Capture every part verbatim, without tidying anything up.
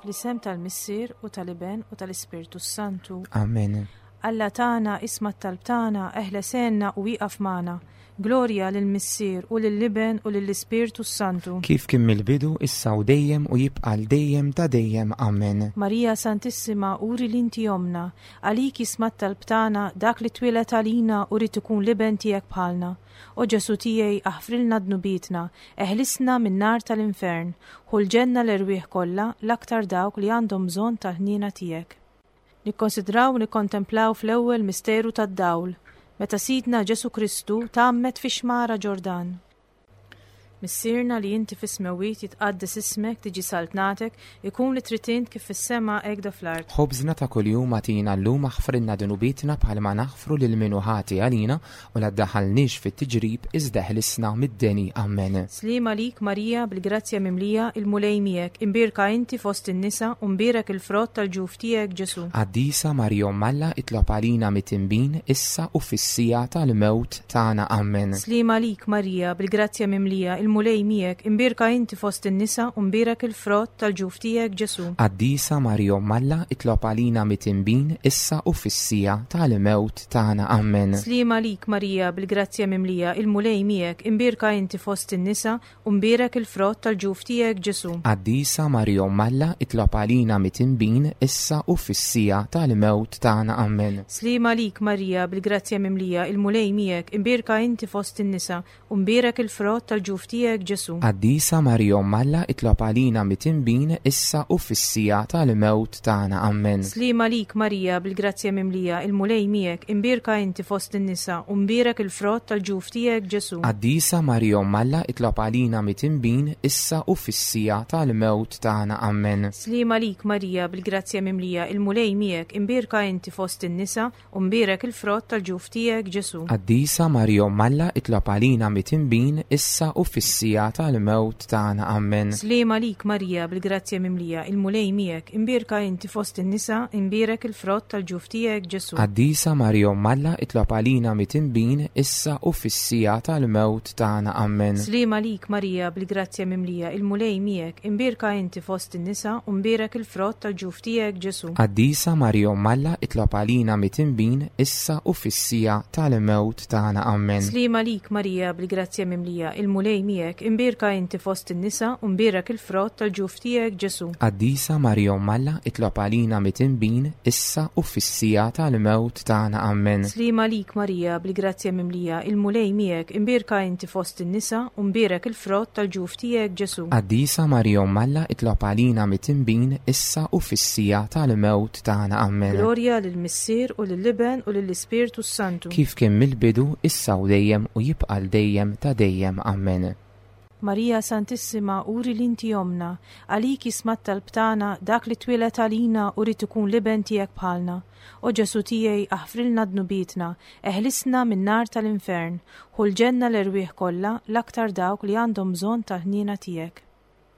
Fl-isem tal-Missier u tal-Iben u tal-Ispirtu Santu. Amen. Alla tagħna isma' t-talb tagħna, eħles għinna u ieqaf magħna. Glorja lill-Missier u lill-Iben u lill-Ispirtu Santu. Kif kien mill-bidu, issa u dejjem u jibqa' għal dejjem ta' dejjem. Amen. Marija Santissima, uri li inti omna, għalik jisma' t-talb tagħna dak li twieled għalina u rrid ikun l-iben tiegħek bħalna. O Ġesu tiegħi, aħfrilna dnubietna, eħlisna min-nar tal-infern, ħu l-ġenna l-erwieħ kollha l-aktar dawk li għandhom bżonn tal-ħniena tiegħek. Nikkonsidraw u nikkontemplaw fl-ewwel misteru tad-dawl, meta Sidna Ġesu Kristu tgħammed fix-xmara Ġordan. Missierna li inti fis-smewwiet jitqaddes ismek, tiġi saltnatek, ikun li trid int kif fis-sema hekk fl-art. Ħobżna ta' kuljum agħtina llum aħfrilna dnubietna bħalma naħfru lil min hu ħati għalina u la ddaħħalniex fit-tiġrib iżda eħlisna mid-deni. Amen. Sliem għalik Marija bil-grazzja mimlija il-Mulej miegħek, imbierka inti fost in-nisa u mbierek il-frott tal-ġuf tiegħek Ġesu. Qaddisa Marija Omm Alla itlob għalina midinbin issa u fis-siegħa tal-mewt tagħna. Amen. Sliem għalik Marija bil-grazzja mimlija il-Mulej miegħek, imbierka inti fost in-nisa u mbierek il-frott tal-ġuf tiegħek Ġesu. Qaddisa Marija Omm Alla itlob għalina midinbin issa u fis-siegħa tal-mewt tagħna. Amen. Sliem għalik Marija bil-grazzja mimlija il-Mulej miegħek, imbierka inti fost in-nisa u mbierek il-frott tal-ġuf tiegħek Ġesu. Qaddisa Marija Omm Alla itlob għalina midinbin issa u fis-siegħa tal-mewt tagħna. Amen. Sliem għalik Marija bil-grazzja mimlija il-Mulej miegħek, imbierka inti fost in-nisa u mbierek il-frott tal-ġuf tiegħek Ġesu. Qaddisa Marija Omm Alla itlob għalina midinbin issa u fis-siegħa tal-mewt tagħna. Amen. Sliem għalik Marija bil-grazzja mimlija il-Mulej miegħek, imbierka inti fost in-nisa u mbierek il-frott tal-ġuf tiegħek Ġesu. Qaddisa Marija Omm Alla itlob għalina midinbin issa u fis-siegħa tal-mewt tagħna. Amen. Sliem għalik Marija bil-grazzja mimlija il-Mulej miegħek, imbierka inti fost in-nisa u mbierek il-frott tal-ġuf tiegħek Ġesu. Qaddisa Marija Omm Alla itlob għalina midinbin issa u fis-siegħa tal-mewt tagħna. Amen. Sliem għalik Marija bil-grazzja mimlija il-Mulej miegħek, imbierka inti fost in-nisa, imbierek il-frott tal-ġuf tiegħek Ġesu. Qaddisa Marija Omm Alla itlob għalina midinbin issa u fis-siegħa tal-mewt tagħna. Amen. Sliem għalik Marija bil-grazzja mimlija il-Mulej miegħek, imbierka inti fost in-nisa u mbierek il-frott tal-ġuf tiegħek Ġesu. Qaddisa Marija Omm Alla itlob għalina midinbin issa u fis-siegħa tal-mewt tagħna. Amen. Sliem għalik Marija bil-grazzja mimlija il-Mulej miegħek, imbierka inti fost in-nisa u mbierek il-frott tal-ġuf tiegħek Ġesu. Qaddisa Marija Omm Alla itlob għalina midinbin issa u fis-siegħa tal-mewt tagħna. Amen. Sliem għalik Marija bil-grazzja mimlija il-Mulej miegħek, imbierka inti fost in-nisa u mbierek il-frott tal-ġuf tiegħek Ġesu. Qaddisa Marija Omm Alla itlob għalina midinbin issa u fis-siegħa tal-mewt tagħna. Amen. Glorja lill-Missier u lill-Iben u lill-Ispirtu Santu. Kif kien mill-bidu, issa u dejjem u jibqa' għal dejjem ta' dejjem. Amen. Marija Santissima, uri li inti omna, għalik jisma' t-talb tagħna dak li twieled għalina u rrid ikun l-iben tiegħek bħalna. O Ġesu tiegħi, aħfrilna dnubietna, eħlisna min-nar tal-infern, ħu l-ġenna l-erwieħ kollha l-aktar dawk li għandhom bżonn tal-ħniena tiegħek.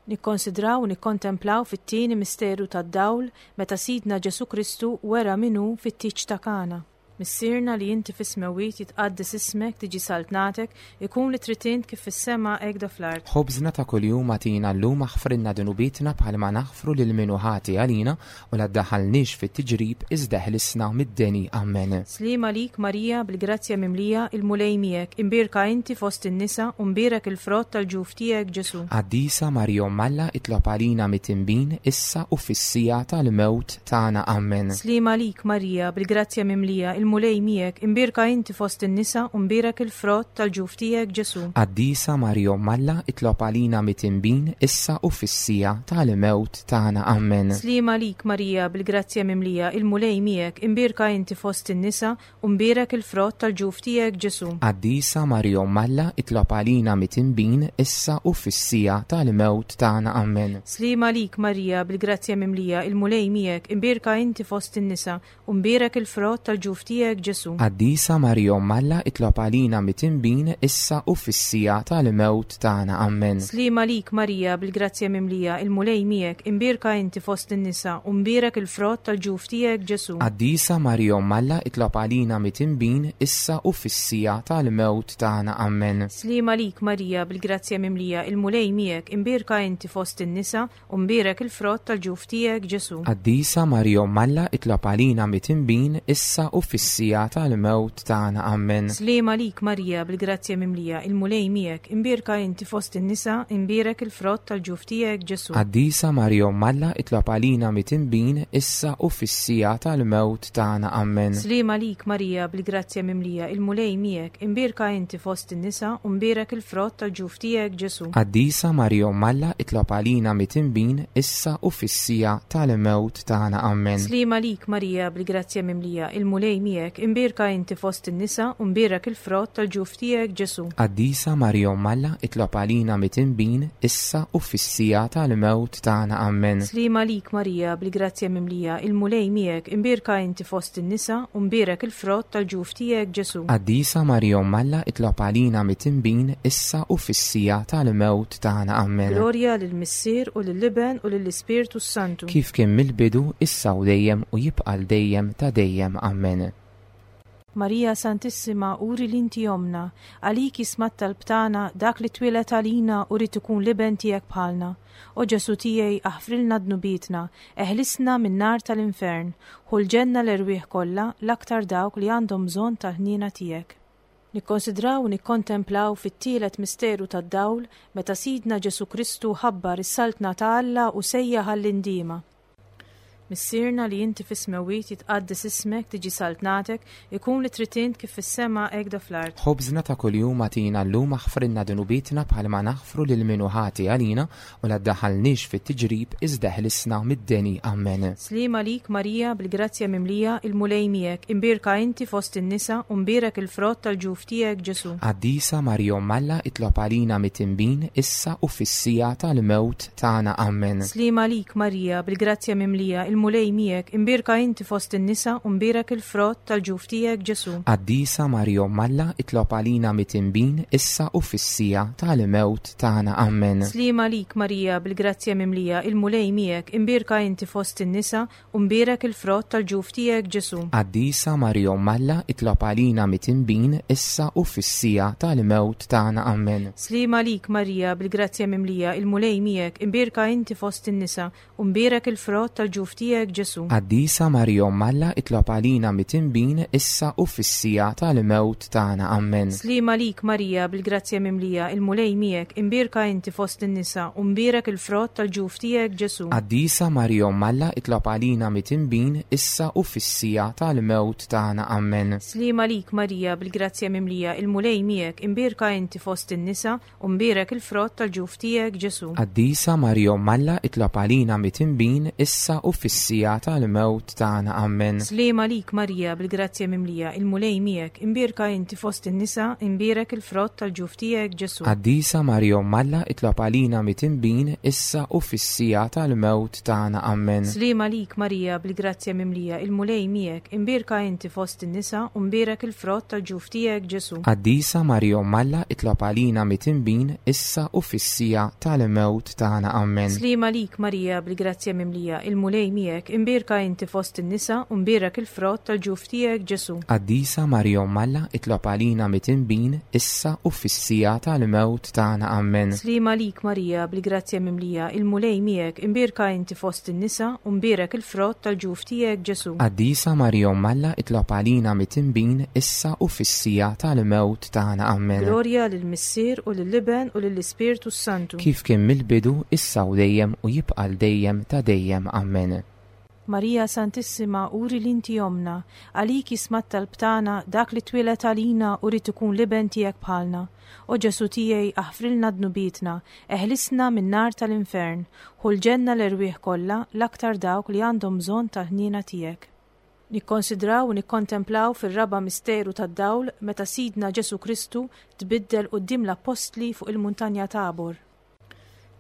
Nikkonsidraw u nikkontemplaw fit-tieni misteru tad-dawl meta Sidna Ġesu Kristu wera min hu fit-tieġ ta' Kana. Missierna li inti fis-smewwiet jitqaddes ismek, tiġi saltnatek, ikun li trid int kif fis-sema hekk fl-art. Ħobżna ta' kuljum agħtina llum aħfrilna dnubietna bħalma naħfru lil min hu ħati għalina u la ddaħħalniex fit-tiġrib iżda eħlisna mid-deni. Amen. Sliem għalik Marija bil-grazzja mimlija il-Mulej miegħek, imbierka inti fost in-nisa u mbierek il-frott tal-ġuf tiegħek Ġesu. Qaddisa Marija Omm Alla itlob għalina midinbin issa u fis-siegħa tal-mewt tagħna. Amen. Sliem għalik Marija bil-grazzja mimlija il-Mulej miegħek, imbierka inti fost in-nisa u mbierek il-frott tal-ġuf tiegħek Ġesu. Qaddisa Marija Omm Alla itlob għalina midinbin issa u fis-siegħa tal-mewt tagħna. Amen. Sliem għalik Marija bil-grazzja mimlija il-Mulej miegħek, imbierka inti fost in-nisa u mbierek il-frott tal-ġuf tiegħek Ġesu. Qaddisa Marija Omm Alla itlob għalina midinbin issa u fis-siegħa tal-mewt tagħna. Amen. Sliem għalik Marija bil-grazzja mimlija il-Mulej miegħek, imbierka inti fost in-nisa u mbierek il-frott tal-ġuf tiegħek tiegħek Ġesù. Qaddisa Marija Omm Alla, itlob għalina midinbin, issa u fis-siegħa tal-mewt tagħna. Amen. Sliema għalik Marija, bil-grazzja mimlija, il-Mulej miegħek, imbierka inti fost in-nisa, u mbierek il-frott tal-ġuf tiegħek Ġesù. Qaddisa Marija Omm Alla, itlob għalina midinbin, issa u fis-siegħa tal-mewt tagħna. Amen. Sliema għalik Marija, bil-grazzja mimlija, il-Mulej miegħek, imbierka inti fost in-nisa, u mbierek il-frott tal-ġuf tiegħek Ġesù. Qaddisa Marija Omm Alla, itlob għalina midinbin, issa u fis-siegħa tal-mewt tagħna. Amen. Sliema għalik Marija, bil-grazzja mimlija, il-Mulej miegħek, imbierka inti fost in-nisa, imbierek il-frott tal-ġuf tiegħek Ġesù. Qaddisa Marija Omm Alla, itlob għalina midinbin, issa u fis-siegħa tal-mewt tagħna. Amen. Sliema għalik Marija, bil-grazzja mimlija, il-Mulej miegħek, imbierka inti fost in-nisa, u mbierek il-frott tal-ġuf tiegħek Ġesù. Qaddisa Marija Omm Alla, itlob għalina midinbin, issa u fis-siegħa tal-mewt tagħna. Amen. Sliema għalik Marija, bil-grazzja mimlija, il-Mulej miegħek, imbierka inti fost in-nisa, u mbierek il-frott tal-ġuf tiegħek Ġesù. Qaddisa Marija Omm Alla, itlob għalina midinbin, issa u fis-siegħa tal-mewt tagħna. Amen. Sliema għalik Marija, bil-grazzja mimlija, il-Mulej miegħek, imbierka inti fost in-nisa, u mbierek il-frott tal-ġuf tiegħek Ġesù. Qaddisa Marija Omm Alla, itlob għalina midinbin, issa u fis-siegħa tal-mewt tagħna. Amen. Glorja lill-Missier u lill-Iben u lill-Ispirtu s-Santu. Kif kien mill-bidu, issa u dejjem u jibqa' l dejjem ta' dejjem. Amen. Marija Santissima, uri li inti omna, għalik jisma' t-talb tagħna dak li twieled għalina u rid ikun l-iben tiegħek bħalna. O Ġesù tiegħi, aħfrilna dnubietna, eħlisna min-nar tal-infern, ħu l-ġenna l-erwieħ kollha, l-aktar dawk li għandhom bżonn tal-ħniena tiegħek. Nikkonsidraw u nikkontemplaw fit-tielet misteru tad-dawl meta Sidna Ġesù Kristu ħabbar is-saltna ta' Alla u sejjaħ għall-indiema. Missierna li inti fis-smewwiet, jitqaddes ismek, tiġi saltnatek, ikun li trid int kif fis-sema hekk fl-art. Ħobżna ta' kuljum agħtina llum, aħfrilna dnubietna bħalma naħfru lil min hu ħati għalina, u la ddaħħalniex fit-tiġrib, iżda ħlisna mid-deni. Amen. Sliema għalik Marija, bil-grazzja mimlija, il-Mulej miegħek, imbierka inti fost in-nisa u mbierek il-frott tal-ġuf tiegħek Ġesù. Qaddisa Marija Omm Alla, itlob għalina midinbin, issa u fis-siegħa tal-mewt tagħna. Amen. Sliema għalik Marija, bil-grazzja mimlija, il-Mulej miegħek, imbierka inti fost in-nisa u mbierek il-frott tal-ġuf tiegħek Ġesù. Qaddisa Marija Omm Alla, itlob għalina midinbin, issa u fis-siegħa tal-mewt tagħna. Amen. Sliema għalik Marija, bil-grazzja mimlija, il-Mulej miegħek, imbierka inti fost in-nisa u mbierek il-frott tal-ġuf tiegħek Ġesù. Qaddisa Marija Omm Alla, itlob għalina midinbin, issa u fis-siegħa tal-mewt tagħna. Amen. Sliema għalik Marija, bil-grazzja mimlija, il-Mulej miegħek, imbierka inti fost in-nisa u mbierek il-frott tal-ġuf tiegħek Ġesù. Qaddisa Marija Omm Alla, itlob għalina midinbin, issa u fis-siegħa tal-mewt tagħna. Amen. Sliema għalik Marija, bil-grazzja mimlija, il-Mulej miegħek, imbierka inti fost in-nisa u mbierek il-frott tal-ġuf tiegħek Ġesù. Qaddisa Marija Omm Alla, itlob għalina midinbin, issa u fis-siegħa tal-mewt tagħna. Amen. Sliema għalik Marija, bil-grazzja mimlija, il-Mulej miegħek, imbierka inti fost in-nisa u mbierek il-frott tal-ġuf tiegħek Ġesù. Qaddisa Marija Omm Alla, itlob għalina midinbin, issa u fis-siegħa tal-mewt tagħna. Amen. Sliema għalik Marija, bil-grazzja mimlija, il-Mulej miegħek, imbierka inti fost in-nisa, imbierek il-frott tal-ġuf tiegħek Ġesù. Qaddisa Marija Omm Alla, itlob għalina midinbin, issa u fis-siegħa tal-mewt tagħna. Amen. Sliema għalik Marija, bil-grazzja mimlija, il-Mulej miegħek, imbierka inti fost in-nisa u mbierek il-frott tal-ġuf tiegħek Ġesù. Qaddisa Marija Omm Alla, itlob għalina midinbin, issa u fis-siegħa tal-mewt tagħna. Amen. Sliema għalik Marija, bil-grazzja mimlija, il-Mulej miegħek, imbierka inti fost in-nisa u mbierek il-frott tal-ġuf tiegħek Ġesù. Qaddisa Marija Omm Alla, itlob għalina midinbin, issa u fis-siegħa tal-mewt tagħna. Amen. Sliema għalik Marija, bil-grazzja mimlija, il-Mulej miegħek, imbierka inti fost in-nisa u mbierek il-frott tal-ġuf tiegħek Ġesù. Qaddisa Marija Omm Alla, itlob għalina midinbin, issa u fis-siegħa tal-mewt tagħna. Amen. Glorja lill-Missier u lill-Iben u lill-Ispirtu s-Santu. Kif kien mill-bidu, issa u dejjem u jibqa' l dejjem ta' dejjem. Amen. Marija Santissima, uri li inti omna, għalik jisma' t-talb tagħna dak li twieled għalina u rid ikun l-iben tiegħek bħalna. O Ġesù tiegħi, aħfrilna dnubietna, eħlisna min-nar tal-infern, ħu l-ġenna l-erwieħ kollha, l-aktar dawk li għandhom bżonn tal-ħniena tiegħek. Nikkonsidraw u nikkontemplaw fir-raba' misteru tad-dawl meta Sidna Ġesù Kristu tbiddel quddiem l-appostli fuq il-muntanja Tabor.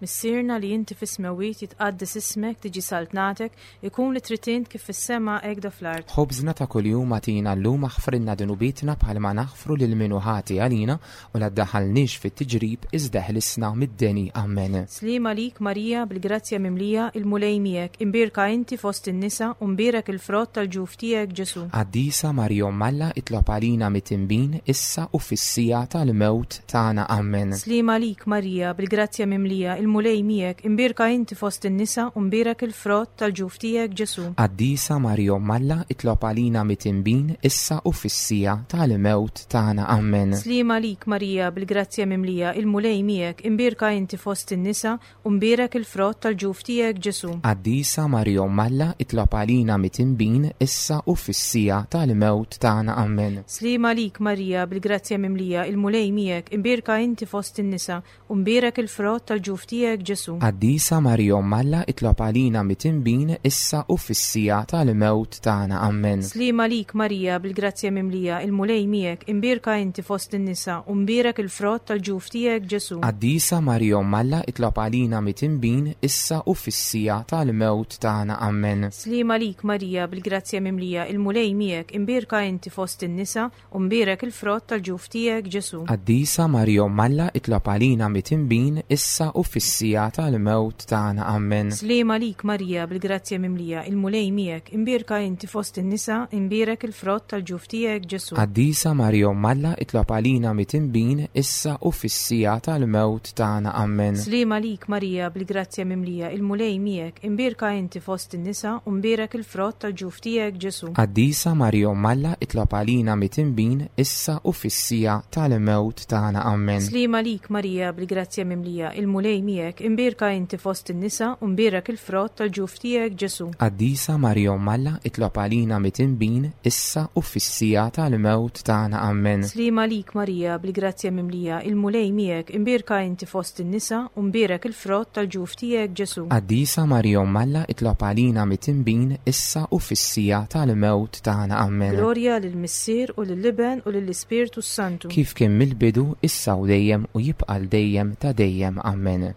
Missierna li inti fis-smewwiet, jitqaddes ismek, tiġi saltnatek, ikun li trid int kif fis-sema hekk fl-art. Ħobżna ta' kuljum agħtina llum, aħfrilna dnubietna bħalma naħfru lil min hu ħati għalina, u la ddaħħalniex fit-tiġrib, iżda ħlisna mid-deni. Amen. Sliema għalik Marija, bil-grazzja mimlija, il-Mulej miegħek, imbierka inti fost in-nisa u mbierek il-frott tal-ġuf tiegħek Ġesu. Qaddisa Marija Omm Alla, itlob għalina midinbin, issa u fis-siegħa tal-mewt tagħna. Amen. Sliema għalik Marija, bil-grazzja mimlija, il-Mulej miegħek, imbierka inti fost in-nisa u mbierek il-frott tal-ġuf tiegħek Ġesu. Qaddisa Marija Omm Alla, itlob għalina midinbin, issa u fis-siegħa tal-mewt tagħna. Amen. Sliema għalik Marija, bil-grazzja mimlija, il-Mulej miegħek, imbierka inti fost in-nisa u mbierek il-frott tal-ġuf tiegħek Ġesu. Qaddisa Marija Omm Alla, itlob għalina midinbin, issa u fis-siegħa tal-mewt tagħna. Amen. Sliema għalik Marija, bil-grazzja mimlija, il-Mulej miegħek, imbierka inti fost in-nisa u mbierek il-frott tal-ġuf tiegħek Ġesu. Qaddisa Marija Omm Alla, itlob għalina midinbin, issa u fis-siegħa tal-mewt tagħna. Amen. Sliema għalik Marija, bil-grazzja mimlija, il-Mulej miegħek, imbierka inti fost in-nisa u mbierek il-frott tal-ġuf tiegħek Ġesu. Qaddisa Marija Omm Alla, itlob għalina midinbin, issa u fis-siegħa tal-mewt tagħna. Amen. Sliema għalik Marija, bil-grazzja mimlija, il-Mulej miegħek, imbierka inti fost in-nisa u mbierek il-frott tal-ġuf tiegħek Ġesu. Qaddisa Marija Omm Alla, itlob għalina midinbin, issa u fis-siegħa tal-mewt tagħna. Amen. Sliema għalik Marija, bil-grazzja mimlija, il-Mulej miegħek, imbierka inti fost in-nisa, imbierek il-frott tal-ġuf tiegħek Ġesu. Qaddisa Marija Omm Alla, itlob għalina midinbin, issa u fis-siegħa tal-mewt tagħna. Amen. Sliema għalik Marija, bil-grazzja mimlija, il-Mulej miegħek, imbierka inti fost in-nisa u mbierek il-frott tal-ġuf tiegħek Ġesu. Qaddisa Marija Omm Alla, itlob għalina midinbin, issa u fis-siegħa tal-mewt tagħna. Amen. Sliema għalik Marija, bil-grazzja mimlija, il-Mulej miegħek, imbierka inti fost in-nisa u mbierek il-frott tal-ġuf tiegħek Ġesu. Qaddisa Marija Omm Alla, itlob għalina midinbin, issa u fis-siegħa tal-mewt tagħna. Amen. Sliema għalik Marija, bil-grazzja mimlija, il-Mulej miegħek, imbierka inti fost in-nisa u mbierek il-frott tal-ġuf tiegħek Ġesu. Qaddisa Marija Omm Alla, itlob għalina midinbin, issa u fis-siegħa tal-mewt tagħna. Amen. Glorja lill-Missier u lill-Iben u lill-Ispirtu Santu. Kif kien mill-bidu, issa u dejjem u jibqa' dejjem ta' dejjem. Amen.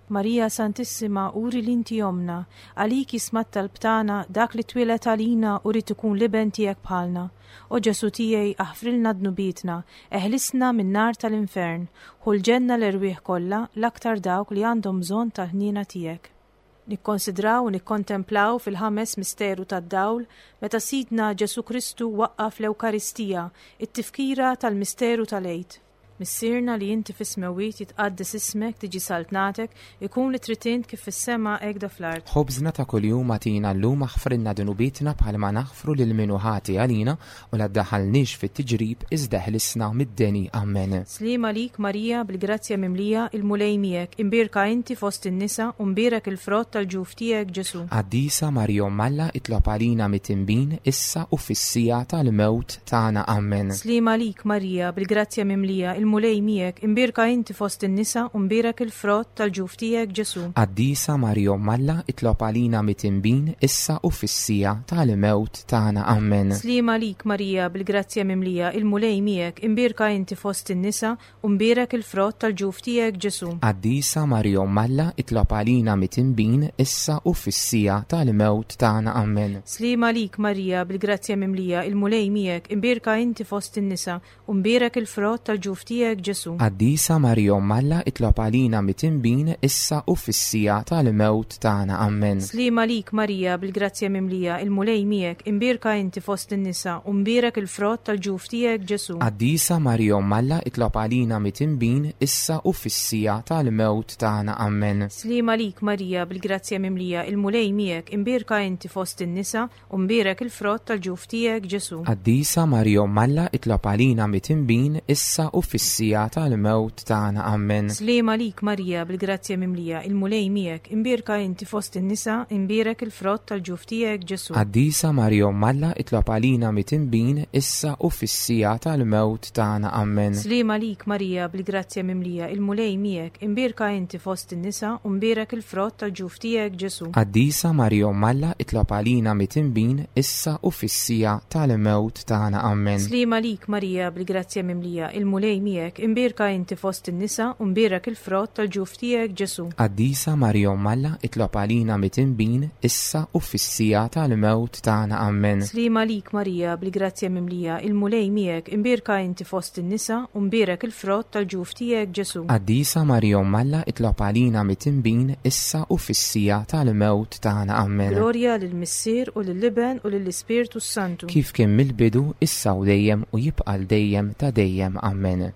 Marija Santissima, uri li inti ommna, għalik jisma' t-talb tagħna, dak li twieled għalina u rrid ikun l-iben tiegħek bħalna. O Ġesu tiegħi, aħfrilna dnubietna, eħlisna min-nar tal-infern, ħu l-ġenna l-erwieħ kollha, l-aktar dawk li għandhom bżonn tal-ħniena tiegħek. Nikkonsidraw u nikkontemplaw fil-ħames misteru tad-dawl meta Sidna Ġesu Kristu waqqaf l-Ewkaristija, it-tifkira tal-misteru tal-Għid. Missierna li inti fis-smewwiet, jitqaddes ismek, tiġi saltnatek, ikun li trid int kif fis-sema hekk fl-art. Ħobżna ta' kuljum agħtina llum, aħfrilna dnubietna bħalma naħfru lil min hu ħati għalina, u la ddaħħalniex fit-tiġrib, iżda ħlisna mid-deni. Amen. Sliema għalik Marija, bil-grazzja mimlija, il-Mulej miegħek, imbierka inti fost in-nisa u mbierek il-frott tal-ġuf tiegħek Ġesu. Qaddisa Marija Omm Alla, itlob għalina midinbin, issa u fis-siegħa tal-mewt tagħna. Amen. Sliema għalik Marija, bil-grazzja mimlija, il-Mulej miegħek, imbierka inti fost in-nisa u mbierek il-frott tal-ġuf tiegħek Ġesu. Qaddisa Marija Omm Alla, itlob għalina midinbin, issa u fis-siegħa tal-mewt tagħna. Amen. Sliema għalik Marija, bil-grazzja mimlija, il-Mulej miegħek, imbierka inti fost in-nisa u mbierek il-frott tal-ġuf tiegħek Ġesu. Qaddisa Marija Omm Alla, itlob għalina midinbin, issa u fis-siegħa tal-mewt tagħna. Amen. Sliema għalik Marija, bil-grazzja mimlija, il-Mulej miegħek, imbierka inti fost in-nisa u mbierek il-frott tal-ġuf tiegħek Ġesu. Qaddisa Marija Omm Alla, itlob għalina midinbin, issa u fis-siegħa tal-mewt tagħna. Amen. Sliema għalik Marija, bil-grazzja mimlija, il-Mulej miegħek, imbierka inti fost in-nisa u mbierek il-frott tal-ġuf tiegħek Ġesu. Qaddisa Marija Omm Alla, itlob għalina midinbin, issa u fis-siegħa tal-mewt tagħna. Amen. Sliema għalik Marija, bil-grazzja mimlija, il-Mulej miegħek, imbierka inti fost in-nisa u mbierek il-frott tal-ġuf tiegħek Ġesu. Qaddisa Marija Omm Alla, itlob għalina midinbin, issa u fis-siegħa tal-mewt tagħna. Amen. Sliema għalik Marija, bil-grazzja mimlija, il-Mulej miegħek, imbierka inti fost in-nisa, imbierek il-frott tal-ġuf tiegħek Ġesu. Qaddisa Marija Omm Alla, itlob għalina midinbin, issa u fis-siegħa tal-mewt tagħna. Amen. Sliema għalik Marija, bil-grazzja mimlija, il-Mulej miegħek, imbierka inti fost in-nisa u mbierek il-frott tal-ġuf tiegħek Ġesu. Qaddisa Marija Omm Alla, itlob għalina midinbin, issa u fis-siegħa tal-mewt tagħna. Amen. Sliema għalik Marija, bil-grazzja mimlija, il-Mulej miegħek, miegħek, imbierka inti fost in-nisa u mbierek il-frott tal-ġuf tiegħek Ġesu. Qaddisa Marija Omm Alla, itlob għalina midinbin, issa u fis-siegħa tal-mewt tagħna. Ammen. Sliema għalik Marija, bil-grazzja mimlija, il-Mulej miegħek, imbierka inti fost in-nisa u mbierek il-frott tal-ġuf tiegħek Ġesu. Qaddisa Marija Omm Alla, itlob għalina midinbin, issa u fis-siegħa tal-mewt tagħna. Ammen. Glorja lill-Missier u lill-Iben u lill-Ispirtu s-Santu. Kif kien mill-bidu, issa u dejjem u jibqa' l dejjem ta' dejjem. Ammen.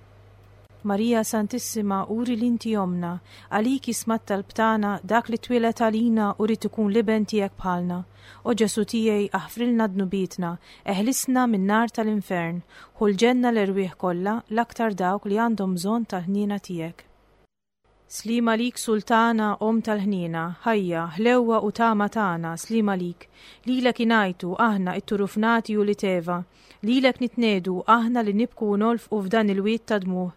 Marija Santissima, uri li inti omna, għalik jisma' t-talb tagħna dak li twieled għalina u ried ikun l-iben tiegħek bħalna. O Ġesu tiegħi, aħfrilna dnubietna, eħlisna min-nar tal-infern, ħu l-ġenna l-erwieħ kollha, l-aktar dawk li għandhom bżonn tal-ħniena tiegħek. Sliema għalik Sultana, Omm tal-ħniena, ħajja, ħlewwa u tama tagħna, sliema għalik. Lilek ingħajtu aħna it-turufnati u li teva, lilek nitnedu aħna li nibku u nolfqu f'dan il-wied ta' dmuħ.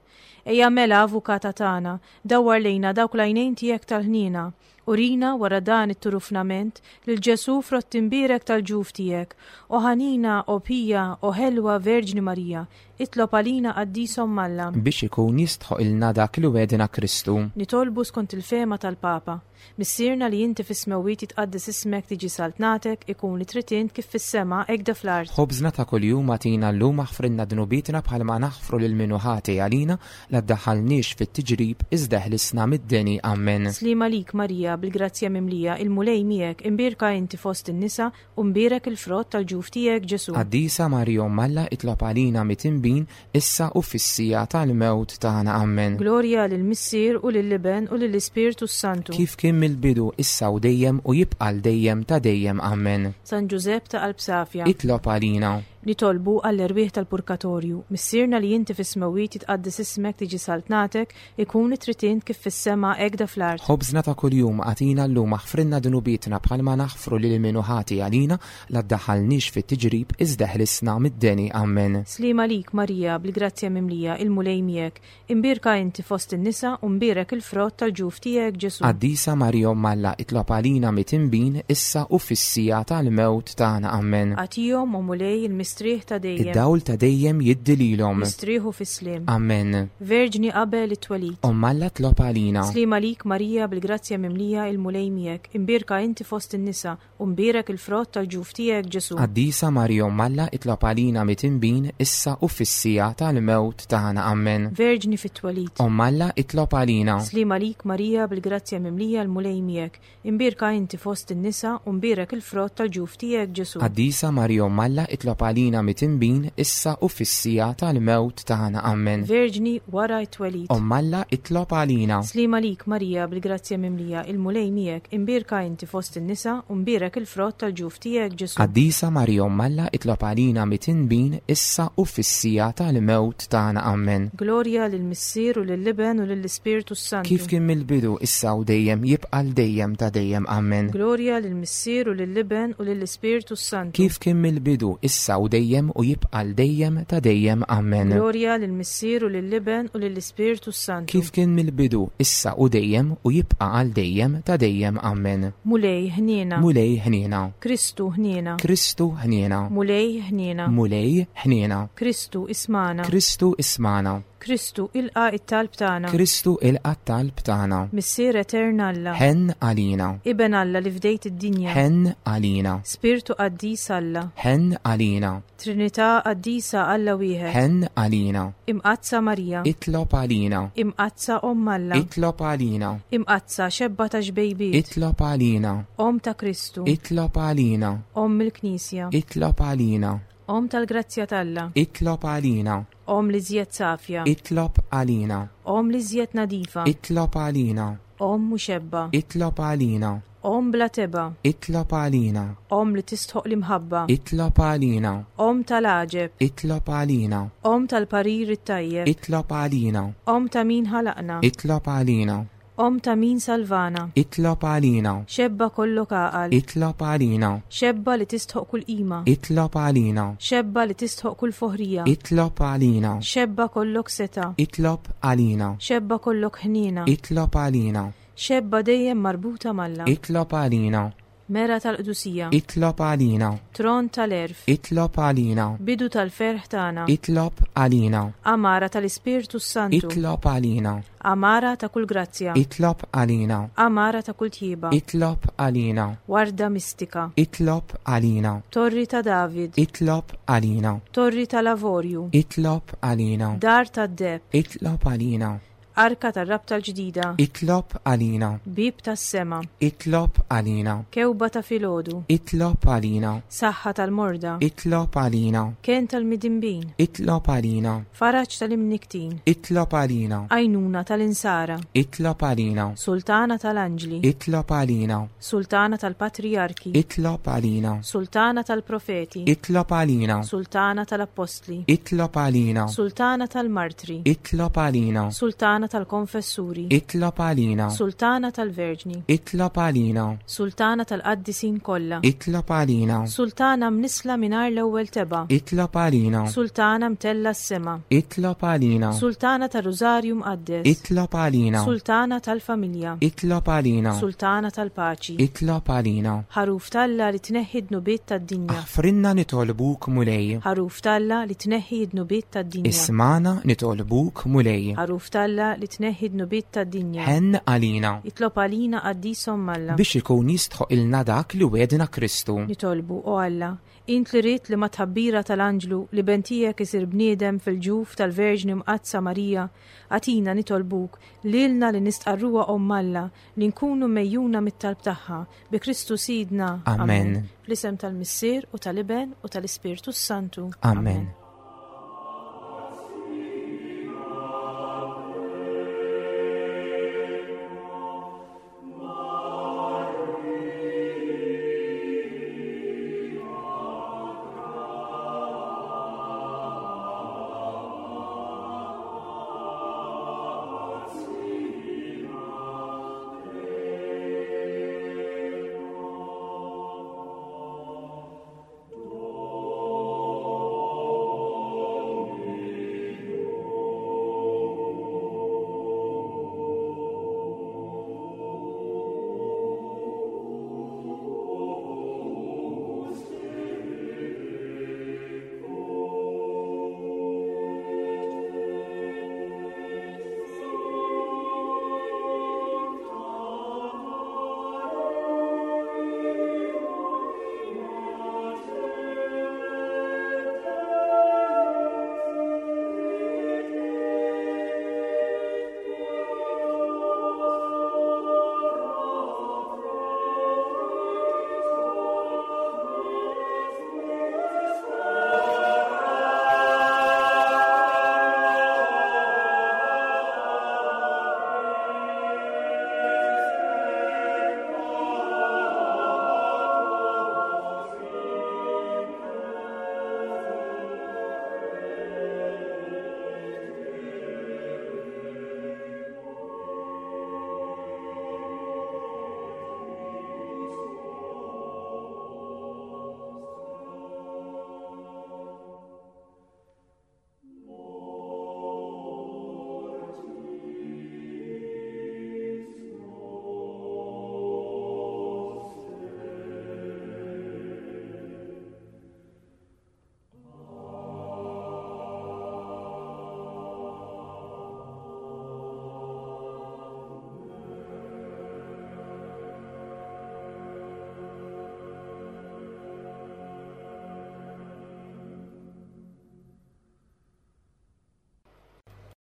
Ejja mela avukata tagħna, dawwar lejna dawk l-għajnejn tiegħek tal-ħniena. Urina wara dan it-turufnament lil Ġesu frott imbierek tal-ġuf tiegħek. O ħanina, o pija, o ħelwa Verġni Marija, itlob għalina qaddisa Omm Alla. Biex ikun jistħoqqilna dak li wegħedna Kristu. Nitolbu skont il-fehma tal-Papa. Missierna li inti fis-smewwiet, jitqaddes ismek, tiġi saltnatek, ikun li trid int kif fis-sema hekk fl-art. Ħobżna ta' kuljum agħtina llum, aħfrilna dnubietna bħalma naħfru lil min hu ħati għalina, la ddaħħalniex fit-tiġrib, iżda eħlisna mid-deni. Ammen. Sliema għalik Marija, bil-grazzja mimlija, il-Mulej miegħek, imbierka inti fost in-nisa u mbierek il-frott tal-ġuf tiegħek Ġesu. Qaddisa Marija Omm Alla, itlob għalina midinbin, issa u fis-siegħa tal-mewt tagħna. Ammen. Glorja lill-Missier u lill-Iben u lill-Ispirtu s-Santu. Kif kien mill-bidu, issa u dejjem u jibqa' l dejjem ta' dejjem. Ammen. San Ġużepp ta' qalb safja. Itlob għalina. Nitolbu għall-erwieħ tal-purgatorju. Missierna li inti fis-smewwiet, jitqaddes ismek, tiġi saltnatek, ikun li trid int kif fis-sema hekk fl-art. Ħobżna ta' kuljum agħtina llum, aħfrilna dnubietna bħalma naħfru lil min hu ħati għalina, la ddaħħalniex fit-tiġrib, iżda eħlisna mid-deni. Ammen. Sliema għalik Marija, bil-grazzja mimlija, il-Mulej miegħek, imbierka inti fost in-nisa u mbierek il-frott tal-ġuf tiegħek Ġesu. Qaddisa Marija Omm Alla, itlob għalina midinbin, issa u fis-siegħa tal-mewt tagħna. Ammen. Agħtihom, o Mulej, il-mistrieħ ta' dejjem. Id-dawl ta' dejjem jiddi lilhom. Mistrieħu fis-sliem. Ammen. Verġni qabel it-twelid. Omm Alla, itlob għalina. Sliema għalik Marija, bil-grazzja mimlija, il-Mulej miegħek, imbierka inti fost in-nisa u mbierek il-frott tal-ġuf tiegħek Ġesu. Qaddisa Marija Omm Alla, itlob għalina midinbin, issa u fis-siegħa tal-mewt tagħna. Ammen. Verġni fit-twelid. Omm Alla, itlob għalina. Sliema għalik Marija, bil-grazzja mimlija, l-Mulej miegħek, imbierka inti fost in-nisa u mbierek il-frott tal-ġuf tiegħek Ġesu. Qaddisa Marija Omm Alla, itlob għalina midinbin, issa u fis-siegħa tal-mewt tagħna. Ammen. Verġni wara t-twelid. Omm Alla, itlob għalina. Sliema għalik Marija, bil-grazzja mimlija, il-Mulej miegħek, imbierka inti fost in-nisa u mbierek il-frott tal-ġuf tiegħek Ġesu. Qaddisa Marija Omm Alla, itlob għalina midinbin, issa u fis-siegħa tal-mewt tagħna. Ammen. Glorja lill-Missier u lill-Iben u lill-Ispirtu s-Santu. Kif kien mill-bidu, issa u dejjem, jibqa' l dejjem ta' dejjem. Ammen. Glorja lill-Missier u lill-Iben u lill-Ispirtu s-Santu. Kif kien mill-bidu, issa u dejjem u jibqa' l dejjem ta' dejjem. Ammen. Glorja lill-Missier u lill-Iben u lill-Ispirtu s-Santu. Kif kien mill-bidu, issa u dejjem u jibqa' għal dejjem ta' dejjem. Ammen. Mulej ħniena. Mulej ħniena. Kristu ħniena. Kristu ħniena. Mulej ħniena. Mulej ħniena. Kristu ismagħna. Kristu ismagħna. Kristu ilqa' it-talb tagħna. Kristu ilqa' t-talb tagħna. Missier Etern Alla. Ħenn għalina. Iben Alla li fdejt id-dinja. Ħenn għalina. Spirtu Qaddis Alla. Ħenn għalina. Trinità Qaddisa, Alla wieħed. Ħenn għalina. Imqaddsa Marija. Itlob għalina. Imqaddsa Omm Alla. Itlob għalina. Imqaddsa xebba ta' xbejbiet. Itlob għalina. Omm ta' Kristu. Itlob għalina. Omm il-Knisja. Itlob għalina. Omm tal-grazzja t'Alla. Itlob għalina. Omm l-iżjed safja. Itlob għalina. Omm l-iżjed nadifa. Itlob għalina. Omm muxebba. Itlob għalina. Omm bla tebgħa. Itlob għalina. Omm li tistħoq l-imħabba. Itlob għalina. Omm tal-għaġeb. Itlob għalina. Omm tal-parir it-tajjeb. Itlob għalina. Omm ta' min ħalaqna. Itlob għalina. Omm ta' min salvana. Itlob għalina. Xebba kollok għaqal. Itlob għalina. Xebba li tistħoq kull qima. Itlob għalina. Xebba li tistħoq kull foħrija. Itlob għalina. Xebba kollok setgħa. Itlob għalina. Xebba kollok ħniena. Itlob għalina. Xebba dejjem marbuta m'Alla. Itlob għalina. Mera tal-qdusija. Itlob għalina. Tron tal-għerf. Itlob għalina. Bidu tal-ferħ tagħna. Itlob għalina. Għamara tal-Ispirtu Santu. Itlob għalina. Għamara ta' kull grazzja. Itlob għalina. Għamara ta' kull tjieba. Itlob għalina. Warda mistika. Itlob għalina. Torri ta' David. Itlob għalina. Torri tal-Avorju. Itlob għalina. Dar tad-deheb. Itlob għalina. Arka tar-rabta l-ġdida. Itlob għalina. Bieb tas-sema. Itlob għalina. Kewba ta' filgħodu. Itlob għalina. Saħħa tal-morda. Itlob għalina. Kenn tal-midinbin. Itlob għalina. Faraġ tal-imniktin. Itlob għalina. Għajnuna tal-insara. Itlob għalina. Sultana tal-anġli. Itlob għalina. Sultana tal-patrijarki. Itlob għalina. Sultana tal-profeti. Itlob għalina. Sultana tal-appostli. Itlob għalina. Sultana tal-martri. Itlob għalina. Sultana tal-konfessuri. Itlob għalina. Sultana tal-verġni. Itlob għalina. Sultana tal-qaddisin kollha. Itlob għalina. Sultana mnisla mingħajr l-ewwel tebgħa. Itlob għalina. Sultana mtella s-sema. Itlob għalina. Sultana tar-Rużarju Mqaddes. Itlob għalina. Sultana tal-familja. Itlob għalina. Sultana tal-paċi. Itlob għalina. Ħaruf t'Alla li tneħħi d-dnubiet tad-dinja. Aħfrilna nitolbuk Mulej. Ħaruf t'Alla li tneħħi d-dnubiet tad-dinja. Ismagħna nitolbuk Mulej. Ħaruf t'Alla li tneħħi d-dnubiet tad-dinja. Ħenn għalina. Itlob għalina qaddis Omm Alla. Biex ikun jistħoqqilna dak li wegħedna Kristu. Nitolbu, o Alla, int li ridt li mat-tħabbira tal-anġlu l-Iben tiegħek isir bniedem fil-ġuf tal-Verġni Mqaddsa Marija, agħtina nitolbuk lilna li nistqarruha Omm Alla li nkunu megħjuna mit-talb tagħha bi Kristu Sidna. Amen. Fl-isem tal-Missier u tal-Iben u tal-Ispirtu Santu. Amen.